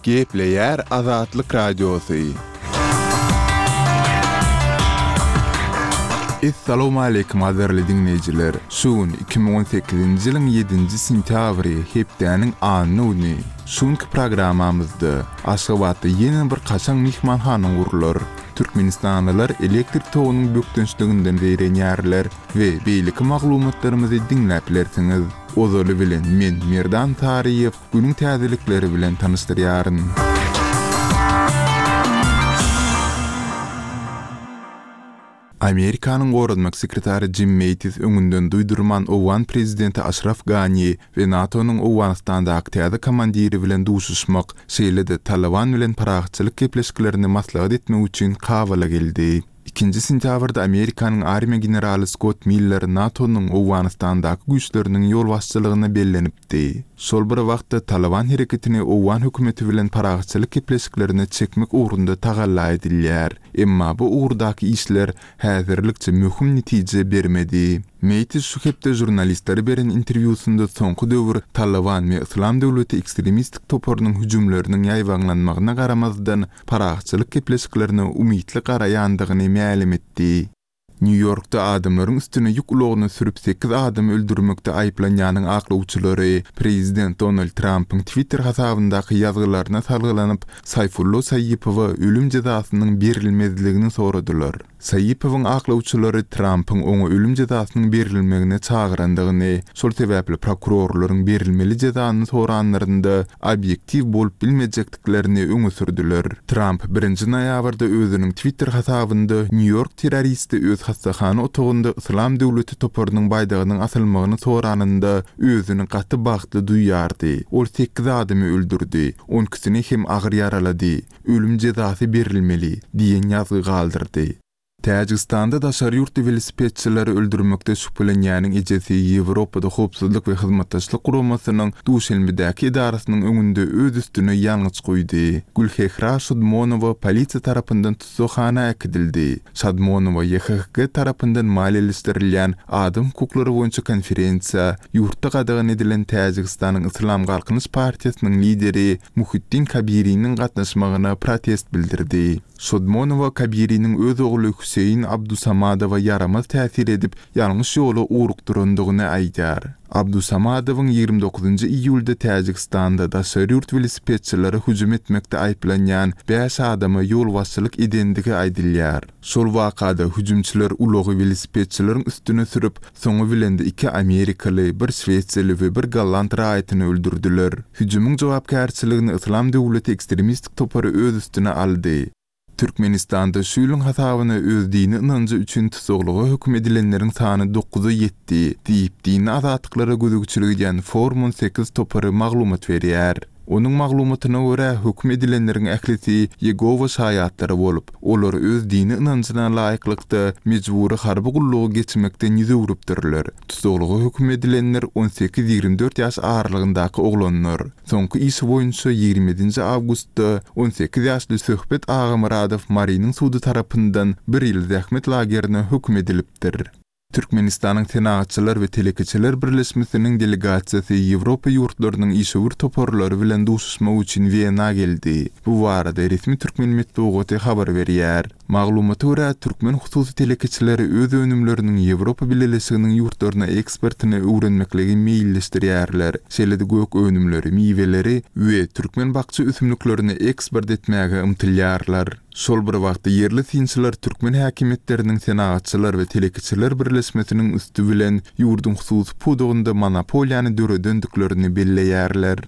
Gepleýär Azatlyk Radiosy. Essalawmaleýkim gadyrly diňleýjiler! Şu gün 2018-nji ýylyň ýedinji sentýabry, hepdäniň anna güni. Şu günki programmamyzda Aşgabatda ýene bir kaşaň myhmanhana gurlar. Türkmenistanlylar elektrik togunyň bökdençliginden zeýrenýärler we beýleki maglumatlarymyzy diňläp bilersiňiz. Ozaly bilen men Merdan Saryýew günüň täzelikleri bilen tanyşdyrýaryn. Amerikanyň goranmak sekretary Jim Mattis öňünden duýdurman owgan prezidenti Aşraf Gani we NATO-nyň Owganystandaky täze komandiri bilen duşuşmak, şeýle-de Talyban bilen parahatçylyk gepleşiklerini maslahat etmek üçin Kabula geldi. Ikinji sentýabrda Amerikanyň armiýa generaly Skott Miller NATO-nyň Owganystandaky güýçleriniň ýolbaşçylygyna bellenipdi. Şol bir wagtda Talyban hereketini owgan hökümeti bilen parahatçylyk gepleşiklerine çekmek ugrunda tagalla edilýär. Emma bu ugurdaky işler häzirlikçe möhüm netije bermedi. Meýtis şu hepde žurnalistlere beren interwýusynda soňky döwür Talyban we Yslam döwleti ekstremistik toparynyň hüjümleriniň ýaýbaňlanmagyna garamazdan, parahatçylyk gepleşiklerine umytly garaýandygyny mälim etdi. Nýu-Ýorkda adamlaryň üstüne ýük ulagyny sürüp sekiz adamy öldürmekde aýyplanýanyň aklawçylary prezident Donald Trampyň Twitter hasabyndaky ýazgylaryna salgylanyp, Saýfullo Saýipowa ölüm jezasynyň berilmezligini soradylar. Saýipowyň aklawçylary Trampyň oňa ölüm jezasynyň berilmegine çagyrandygyny, şol sebäpli prokurorlaryň berilmeli jezany soranlarynda obýektiw bolup bilmejekdiklerini etdiklerini öňe sürdüler. Tramp birinji noýabrda özüniň Twitter hasabynda Nýu-Ýork terroristi öz hassahana otagynda Yslam döwleti toparynyň baýdagynyň asylmagyny soranynda özüni gaty bagtly duýýardy. Ol sekiz adamy öldürdi, on ikisini hem agyr ýaralady. Ölüm jezasy berilmeli diýen ýazgy galdyrdy. Täjigistanda daşary ýurtly welosipedçileri öldürmekde şübhelenýäniň ejesi Ýewropada Howpsuzlyk we Hyzmatdaşlyk Guramasynyň Duşenbedäki edarasynyň öňünde öz üstüne ýangyç guýdy. Gülhehra Şodmonowa polisiýa tarapyndan tussaghana äkidildi. Şadmonowa YHHG tarapyndan maliýeleşdirilýän adam hukuklary boýunça konferensiýa, ýurtda gadagan edilen Täjigistanyň Yslam Galkynyş partiýasynyň lideri Muhiddin Kabiriniň gatnaşmagyna protest bildirdi. Şodmonowa Kabiriniň öz ogly Hüseýin Abdusamadowa ýaramaz täsir edip, ýalňyş ýola ugrukdyrandygyny aýdýar. Abdusamadowyň 29 iýulda Täjigistanda daşary ýurt welosipedçilere hüjüm etmekde aýyplanýan bäş adama ýolbaşçylyk edendigi aýdylýar. Şol wakada hüjümçiler ulagy welosipedçileriň üstüne sürüp, Soňy bilen-de iki amerikaly, bir şwesiýaly we bir golland raýatyny öldürdiler. Hüjümiň jogapkärçiligini Yslam döwleti ekstremistik topary öz üstüne aldy. Türkmenistanda şu ýylyň hasabyna öz dini ynanjy üçin tussaglyga höküm edilenleriň sany dokuza ýetdi, diýip, dini azatlyklara gözegçilik edýän Forum 18 topary maglumat berýär. Onuň maglumatyna görä, höküm edilenleriň ählisi Ýegowa şaýatlary bolup, olar öz dini ynanjyna laýyklykda mejbury harby gullugy geçmekden ýüz öwrüpdirler. Tussaglyga höküm edilenler on sekiz-ýigrimi dört ýaş aralygyndaky oglanlar. Soňky işi boýunça ýigrimi ýedinji awgustda on sekiz ýaşly Söhbet Agamyradow Marynyň sudy tarapyndan bir ýyl zähmet lagerine höküm edilipdir. Türkmenistanyň Senagatçylar we telekeçiler birleşmesiniň delegasiýasy Ýewropa ýurtlarynyň işewür toparlary bilen duşuşmak üçin Wena geldi. Bu barada resmi türkmen metbugaty habar berýär. Maglumata görä, türkmen hususy telekeçileri öz önümleriniň Ýewropa Bileleşiginiň ýurtlaryna eksportyny öwrenmekligi meýilleşdirýärler, şeýle-de gök önümleri, miweleri we türkmen bakja ösümliklerini eksport etmäge ymtylýarlar. Şol bir wagtda, ýerli synçylar türkmen häkimiýetleriniň Senagatçylar we telekeçiler birleşmesiniň üsti bilen ýurduň hususy pudagynda monopoliýany döredendiklerini belleýärler.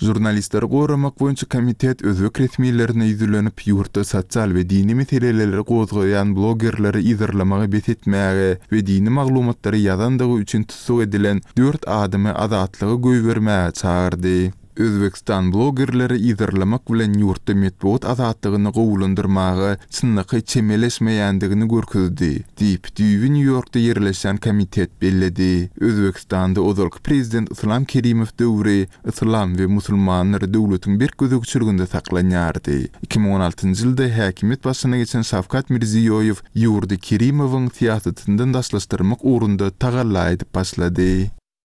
Žurnalistleri goramak boýunça komitet özbek resmilerine ýüzlenip, ýurtda sosial we dini meseleleri gozgaýan blogerleri yzarlamagy bes etmäge we dini maglumatlary ýazandygy üçin tussag edilen dört adamy azatlyga goýbermäge çagyrdy. Özbegistan blogerleri yzarlamak bilen ýurtda metbugat azatlygyny gowulandyrmaga çynlakaý çemeleşmeýändigini görkezdi, diýip, düýbi Nýu-Ýorkda ýerleşýän komitet belledi. Özbegistanda ozalky prezident Yslam Kerimow döwri yslam we musulmanlar döwletiň berk gözegçiliginde saklanýardy. 2016-njy ýylda häkimiýet başyna geçen Şawkat Mirziýoýew ýurdy Kerimowyň syýasatyndan daşlaşdyrmak ugrunda tagalla edip başlady.